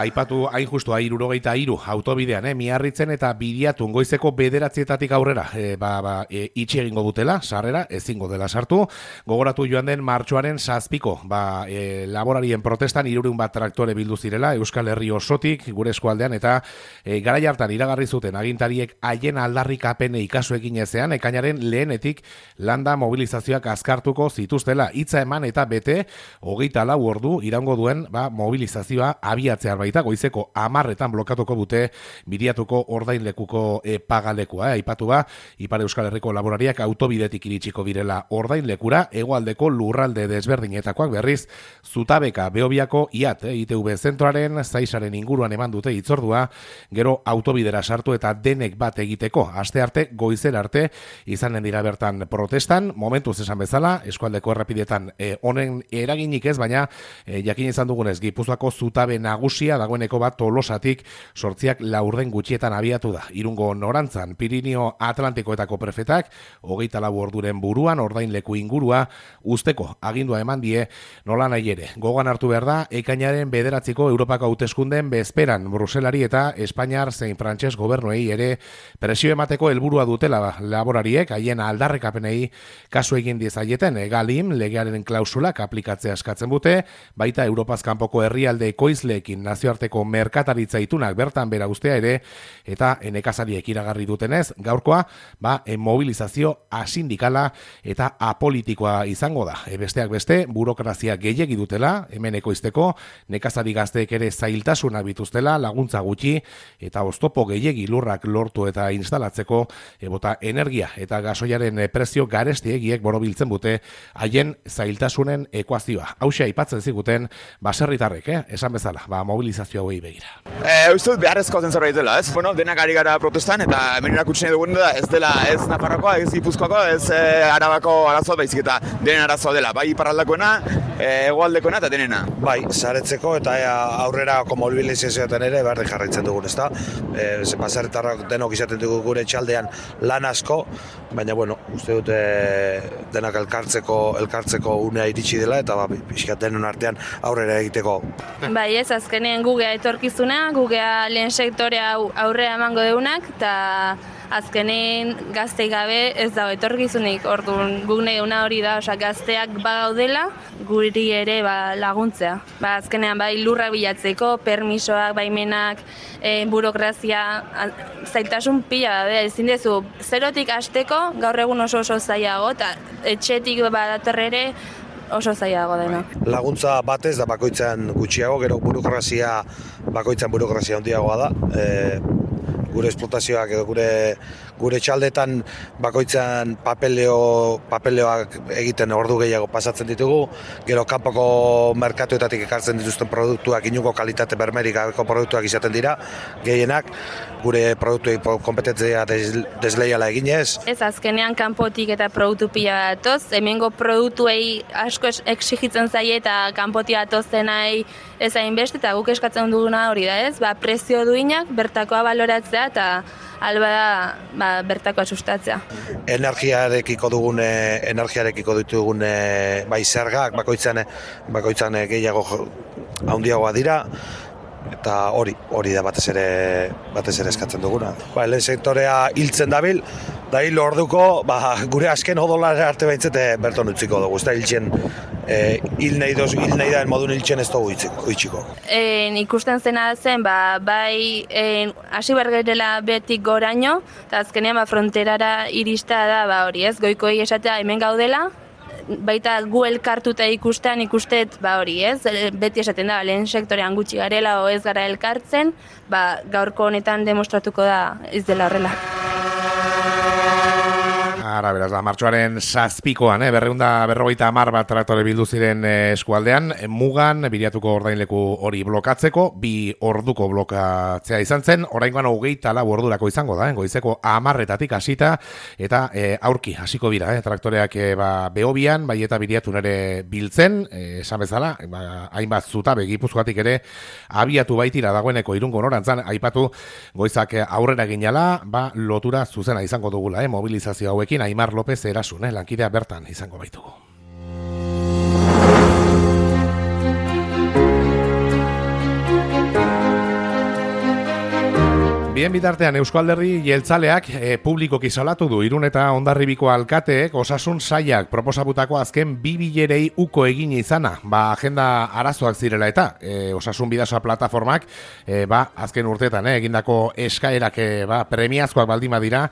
aipatu hain justu 63 autobidean, Miarritzen eta Bidiatun goizeko 9:00 aurrera, itxi egingo dutela, sarrera ezingo dela sartu. Gogoratu joan den martxoaren 7ko, laborarien protestan 300 bat traktore bildu zirela Euskal Herri osotik gure eskualdean eta garai hartan iragarri zuten agintariek haien aldarrikapenei kasu egin ezean ekainaren lehenetik landa mobilizazioak azkartuko zituztela. Hitza eman eta bete 24 ordu iraungo duen mobilizazioa abiatzear baita goizeko 10:00 blokatuko dute Bidiatuko ordainlekuko pagalekua. Aipatu Ipar Euskal Herriko laborariak autobidetik iritsiko direla ordainlekura, hegoaldeko lurralde desberdinetakoak berriz Zutabeka Beobiako IAT, ITV zentroaren Zaisaren inguruan eman dute hitzordua, gero autobidera sartu eta denek bat egiteko. Astearte goizer arte izanen dira bertan protestan, momentuz esan bezala, eskualdeko errepidetan honen eraginik ez, baina jakin izan dugunez Gipuzkoako zutabe nagusia dagoeneko bat Tolosatik 8 laurden gutxietan abiatu da. Irungo norantzan Pirinio Atlantikoetako prefetak 24 orduren buruan ordainleku ingurua usteko agindua eman die, nola nahi ere. Gogoan hartu behar da, ekainaren 9ko Europako hauteskunden bezperan Bruselari eta Espainiar zein Frantses gobernuei ere presio emateko helburua dutela laborariek haien aldarrekapenei kasu egin diezaieten Galim legearen klausulak aplikatzea eskatzen dute, baita Europaz kanpoko herrialde ekoizleekin nazioarteko merkataritza itunak bertan bera ustea ere, eta nekazariek iragarri dutenez, gaurkoa mobilizazio asindikala eta apolitikoa izango da. Besteak beste, burokrazia gehiegi dutela, hemen ekoizteko, nekazari gazteek ere zailtasunak bituztela, laguntza gutxi, eta oztopo gehiegi lurrak lortu eta instalatzeko, bota energia eta gasoiaren prezio garestiegiek borobiltzen dute haien zailtasunen ekuazioa. Hauxe aipatzen ziguten baserritarrek, esan bezala, mobilizazio hauei begira. Uste beharrezko zen zerbait dela, ez? Bueno, denak ari gara protestan eta hemen erakutsi nahi dugun da ez dela ez Nafarroakoa, ez Gipuzkoakoa, ez Arabako arazoa baizik eta denen arazoa dela, bai iparraldekoena, hegoaldekoena eta denena. Bai, saretzeko eta aurrerako mobilizazioetan ere berdin jarraitzen dugun, ezta? Baserritarrak denok izaten dugu gure txaldean lan asko, baina bueno, uste dute denak elkartzeko unea iritsi dela eta pixkat denon artean aurrera egiteko. Bai, ez azkenean gugea etorkizuna, gugea lehen sektorea aurrera emango deunak eta azkenen gaztei gabe ez dago etorkizunik. Orduan guk nahi hori da, gazteak bagaudela, guri ere laguntzea. Azkenean lurra bilatzeko, permisoak, baimenak, burokrazia, zailtasun pila, ezin dezu, zerotik hasteko gaur egun oso zailago, eta etxetik badatorrere oso zailago dena. Laguntza batez da bakoitzan gutxiago, gero bakoitzan burokrazia handiagoa da. Gure esplotazioak edo gure txaldetan bakoitzan papeleoak egiten ordu gehiago pasatzen ditugu, gero kanpoko merkatuetatik ekartzen dituzten produktuak inungo kalitate bermerik gabeko produktuak izaten dira, gehienak gure produktuei kompetentzia desleiala eginez. Ez azkenean kanpotik eta produktu pila datoz, hemengo produktuei asko exigitzen zaie eta kanpotik datozenai ez hainbeste eta guk eskatzen duguna hori da ez, prezio duinak bertakoa baloratzea eta alba da bertakoa sustatzea. Energiarekiko ditugun bai zergak bakoitzan gehiago handiagoa dira eta hori da batez ere eskatzen duguna. Lehen sektorea hiltzen dabil, da hil orduko gure azken odolara arte behintzete berton utziko dugu. Ez da hiltzen hil nahi da modun hiltzen ez dugu utziko. Ikusten zena zen, bai hasi bergerela betik goraino, eta azkenean fronterara irista da hori ez, goikoei esatea hemen gaudela, baita gu elkartuta ikustet hori ez, beti esaten da, lehen sektorean gutxi garela o ez gara elkartzen, gaurko honetan demostratuko da ez dela horrela. Ara, beraz, martxoaren 7koan, 250 bat traktore bildu ziren eskualdean, mugan, Bidiatuko ordainleku hori blokatzeko, 2 orduko blokatzea izan zen, oraingoan 24 ordurako izango da, goizeko 10:00 hasita, eta aurki hasiko dira, traktoreak Beobian, bai eta Bidiatun ere biltzen, esan bezala, hainbat zutabe Gipuzkoatik ere abiatu baitira dagoeneko Irungo norantzan, aipatu goizak aurrera ginala, lotura zuzena izango dugula, mobilizazio hauekin, Aimar López Erasun, lankidea bertan izango baitugu. Bien bitartean Eusko Alderdi Jeltzaleak publikoki salatu du Irun eta Hondarribiko alkateek osasun sailak proposatutako azken 2 bilerei uko egin izana. Agenda arazoak zirela eta osasun bidasoa plataformak azken urteetan egindako eskaerak premiazkoak baldin badira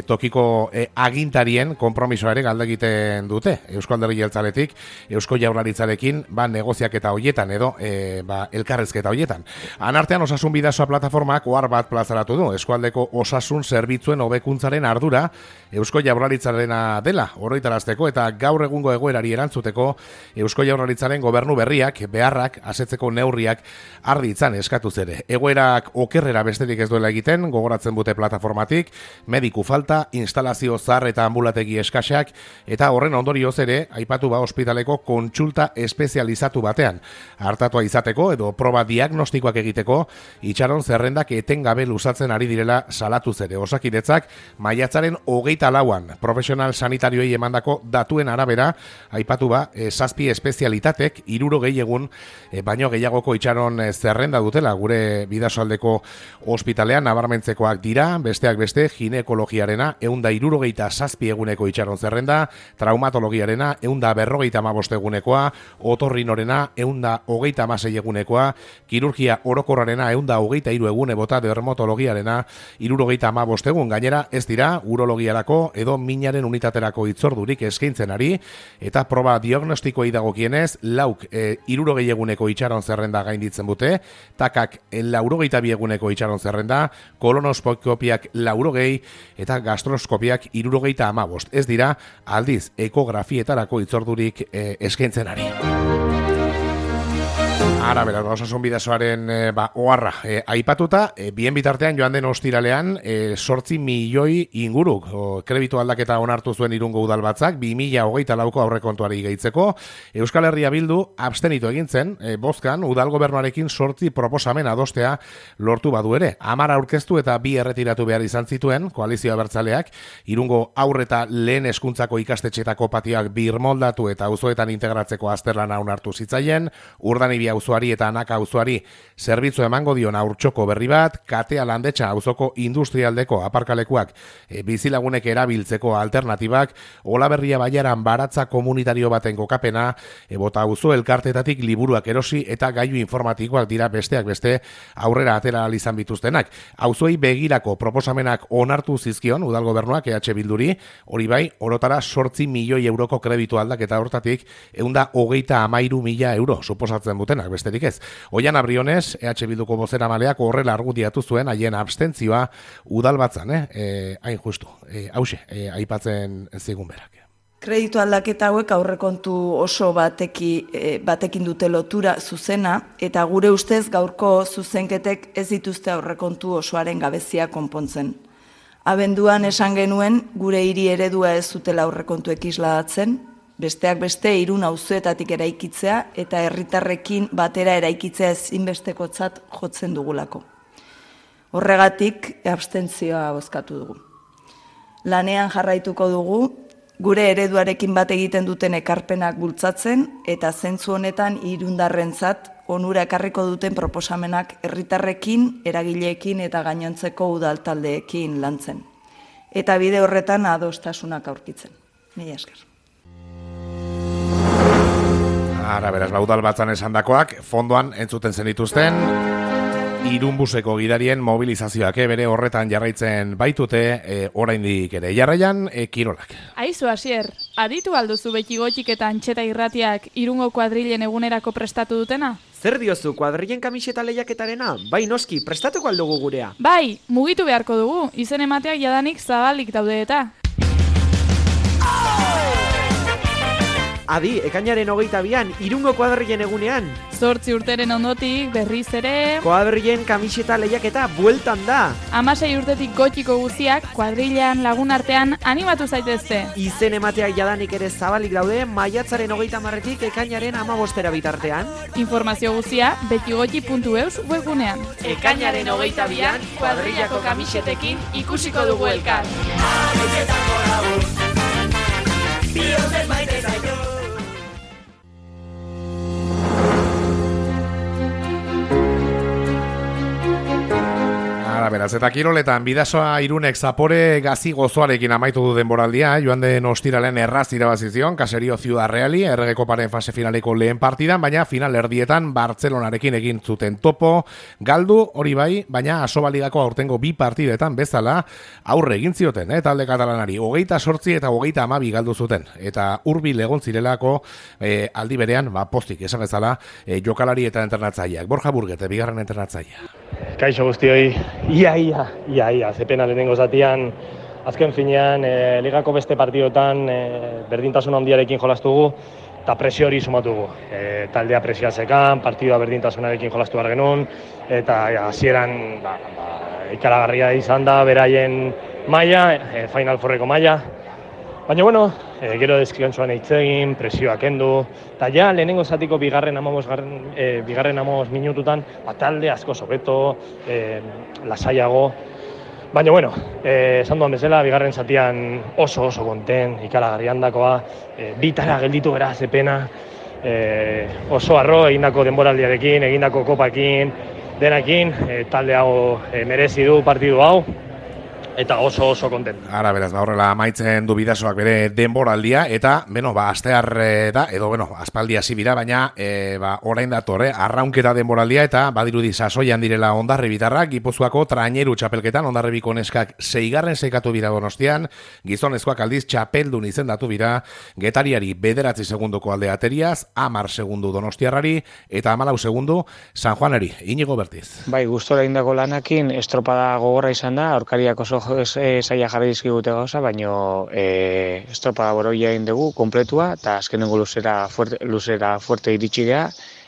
tokiko agintarien konpromisoa ere galde egiten dute. Eusko Alderdi Jeltzaletik Eusko Jaurlaritzarekin negoziaketa hoietan edo elkarrezketa hoietan. Anartean osasun bidasoa plataformak ohar bat plazaratu du. Eskualdeko osasun zerbitzuen hobekuntzaren ardura Eusko Jaurlaritzarena dela oroitarazteko eta gaur egungo egoerari erantzuteko Eusko Jaurlaritzaren gobernu berriak beharrak asetzeko neurriak har ditzan eskatuz ere. Egoerak okerrera besterik ez duela egiten, gogoratzen dute plataformatik, mediku falta, instalazio zahar eta ambulategi eskaxak eta horren ondorioz ere aipatu ospitaleko kontsulta espezializatu batean hartatua izateko edo proba diagnostikoak egiteko itxaron zerrendak etengabe luzatzen ari direla salatu zere. Osakidetzak maiatzaren 24an profesional sanitarioei emandako datuen arabera aipatu 7 espezialitatek 60 egun baino gehiagoko itxaron zerrenda dutela gure bidasoaldeko ospitalean nabarmentzekoak dira, besteak beste ginekologiarena 167 eguneko itxaron zerrenda, traumatologiarena 155 egunekoa, otorrinorena 136 egunekoa, kirurgia orokorrarena 123 egune bota dermatologiarena 75 egun. Gainera ez dira urologiarako edo minaren unitaterako itzordurik eskaintzen ari eta proba diagnostikoei dagokienez 60 eguneko itxaron zerrenda gainditzen dute, takak 82 eguneko itxaron zerrenda, kolonoskopiak 80 eta gastroskopiak 75. Ez dira aldiz ekografietarako itzordurik eskaintzen ari. Ara, beraz, osasun bidasoaren oharra aipatuta, bien bitartean joan den ostiralean 8 milioi inguruk kreditu aldaketa onartu zuen Irungo udalbatzak 2024ko aurrekontuari gehitzeko. Euskal Herria Bildu abstenitu egin zen, bozkan udal gobernuarekin 8 proposamen adostea lortu badu ere. 10 aurkeztu eta 2 erretiratu behar izan zituen koalizio abertzaleak Irungo aurre eta lehen hezkuntzako ikastetxetako patioak birmoldatu eta auzoetan integratzeko azterlana onartu zitzaien, Urdanibia auzoari eta Anaka auzoari zerbitzu emango dion haurtxoko berri bat, Katea Landetxa auzoko industrialdeko aparkalekuak bizilagunek erabiltzeko alternatibak, Olaberria Baiaran baratza komunitario baten kokapena, Bota auzo elkartetatik liburuak erosi eta gailu informatikoak dira besteak beste aurrera atera izan bituztenak. Auzoei begirako proposamenak onartu zizkion udal gobernuak EH Bilduri, hori bai, orotara 8 milioi euroko kreditu aldaketa hortatik 133.000 euro suposatzen dutenak besterik ez. Oian Abriones, EH Bilduko bozeramaleak horrela argudiatu zuen haien abstentzioa udalbatzan, hain justu, hause, aipatzen zigun berak. Kreditu aldaketa hauek aurrekontu oso batekin dute lotura zuzena eta gure ustez gaurko zuzenketek ez dituzte aurrekontu osoaren gabezia konpontzen. Abenduan esan genuen gure hiri eredua ez zutela aurrekontuek isladatzen, besteak beste Irun auzoetatik eraikitzea eta herritarrekin batera eraikitzea ezinbestekotzat jotzen dugulako. Horregatik abstentzioa bozkatu dugu. Lanean jarraituko dugu, gure ereduarekin bat egiten duten ekarpenak bultzatzen eta zentzu honetan irundarrentzat onura ekarriko duten proposamenak herritarrekin, eragileekin eta gainontzeko udaltaldeekin lantzen. Eta bide horretan adostasunak aurkitzen. Mila esker. Ara, beraz, udalbatzan esandakoak fondoan entzuten zenituzten Irunbuseko gidarien mobilizazioak bere horretan jarraitzen baitute oraindik ere. Jarraian kirolak. Aizu Asier, aditu alduzu beti gotik eta antxeta irratiak Irungo kuadrilen egunerako prestatu dutena? Zer diozu, kuadrilen kamiseta lehiaketarena? Bai noski, prestatuko aldugu gurea. Bai, mugitu beharko dugu, izen emateak jadanik zabalik daude eta. Adi, ekainaren 22an, Irungo kuadrilen egunean. 8 urteren ondotik, berriz ere... Kuadrilen kamiseta lehiaketa bueltan da. 16 urtetik gotiko guziak, kuadrilean lagun artean animatu zaitezte. Izen emateak jadanik ere zabalik daude, maiatzaren 30etik ekainaren 15 bitartean. Informazio guzia, betigoti.eus webgunean. Ekainaren 22an, kuadrilako kamisetekin ikusiko dugu elkar. Beraz, beraz, eta kiroletan Bidasoa Irunek Zapore Gazi gozoarekin amaitu du denboraldia, joan den ostiralen erraz irabazizion, Caserio Ciudad Reali, Errege Koparen fase finaleko lehen partidan, baina final erdietan Bartzelonarekin egin zuten topo, galdu hori bai, baina Asobaligako aurtengo bi partidetan bezala aurre egin zioten, talde katalanari, 28 eta 32 galdu zuten, eta hurbil egon zirelako aldi berean, postik esan bezala, jokalari eta entrenatzaileak. Borja Burgete, bigarren entrenatzailea. Kaixo guztioi, ia, zepena lehenengo zatian, azken finean, ligako beste partidotan berdintasun handiarekin jolastugu, eta presio hori sumatugu. Taldea presioatzekan, partidua berdintasunarekin jolastu behar genuen, eta hasieran ikaragarria izan da, beraien maila, Final Fourreko maila. Baina, gero deskantsuan eitzegin, presioak kendu, eta ja, lehenengo zatiko bigarren 15 minututan, talde asko sobeto, lasaiago. Baina, esan duan bezala, bigarren zatian oso konten, ikaragarri handakoa, bitara gelditu gara zepena, oso arro egindako denboraldiarekin, egindako kopakin, denakin, talde hau merezi du partidu hau, eta oso konten. Ara, beraz, horrela amaitzen du Bidasoak bere denboraldia, eta, astear da, edo, aspaldi hasi bira, baina, orain datore, arraunketa denboraldia, eta badirudi sasoian direla Hondarribitarrak, Gipuzkoako traineru txapelketan, Hondarribiko neskak 6. seikatu bira Donostian, gizonezkoak aldiz txapeldun izendatu bira, Getariari 9 segundoko alde ateriaz, 10 segundu Donostiarrari, eta 14 segundu San Juaneri. Inigo Bertiz. Bai, gustora indako lanakin, estropada gogorra izan da, aurkariak oso zaila jarri dizkigute gauza, baino estropada boroia egin dugu, kompletua, eta azkenengo luzera fuerte iritsi geha,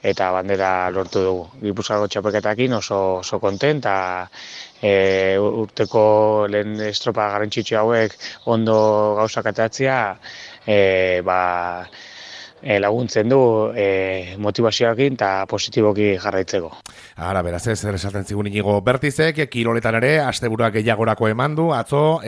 eta bandera lortu dugu. Gipuzkoako txapelketakin oso kontent, eta urteko lehen estropada garrantzitsu hauek ondo gauzak atatzea, laguntzen du motivazioakin eta positiboki jarraitzeko. Ara, beraz ez, zer esaten zigun Inigo Bertizek, kiroletan ere, asteburuak gehiagorako eman du, atzo,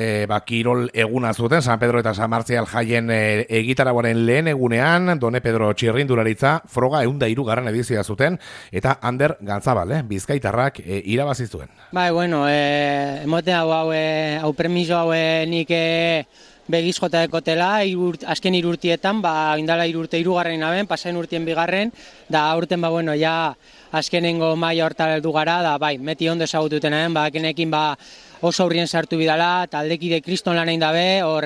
kirol eguna zuten, San Pedro eta San Martzial jaien egitaragoaren lehen egunean, Done Pedro Txirrindularitza, froga 103. edizioa zuten, eta Ander Gantzabal, Bizkaitarrak irabazi zuen. Bai, emote hau premiso hau nik begiz jota dekotela, azken 3 urtietan, indala 3 urte 3. aben, pasain urtien 2. da aurten, ja azkenengo maila hortara heldu gara, da meti ondo ezagututen kenekin oso aurrien sartu bidala, taldekide kriston lan egin dabe, hor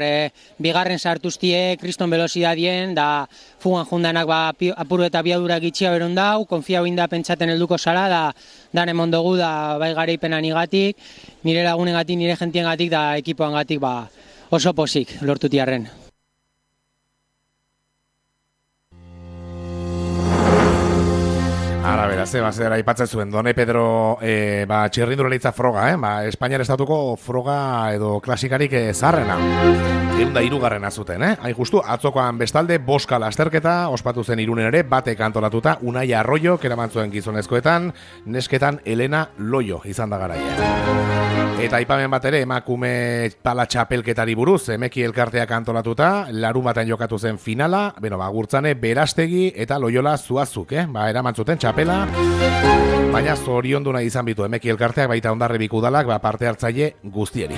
bigarren sartuztie, kriston velozidadien, da fugan jundanak apuru eta biadura gitxia beron dau, konfiau inda pentsaten helduko zara, da dan emondogu, da garaipenan igatik, nire lagunengatik, nire jentiengatik, da ekipoangatik, oso pozik lortutiarren. Ara, beraz, zera aipatzen zuen, Done Pedro Txirrindularitza froga, Espainiar estatuko froga edo klasikarik zarrena. 103. zuten, Hain justu, atzokoan bestalde, boska lasterketa, ospatu zen Irunen ere, batek antolatuta, Unai Arroyo, keraman zuen gizonezkoetan, nesketan Elena Loyo izan da garaia. Eta aipamen bat ere, emakume pala txapelketari buruz, emeki elkarteak antolatuta, larumaten jokatu zen finala, gurtzane Berastegi eta Loyola Zuazuk, eraman zuten txapela, baina zoriondu nahi izan bitu emeki elkarteak, baita Hondarribiko udalak, parte hartzaile guztieri.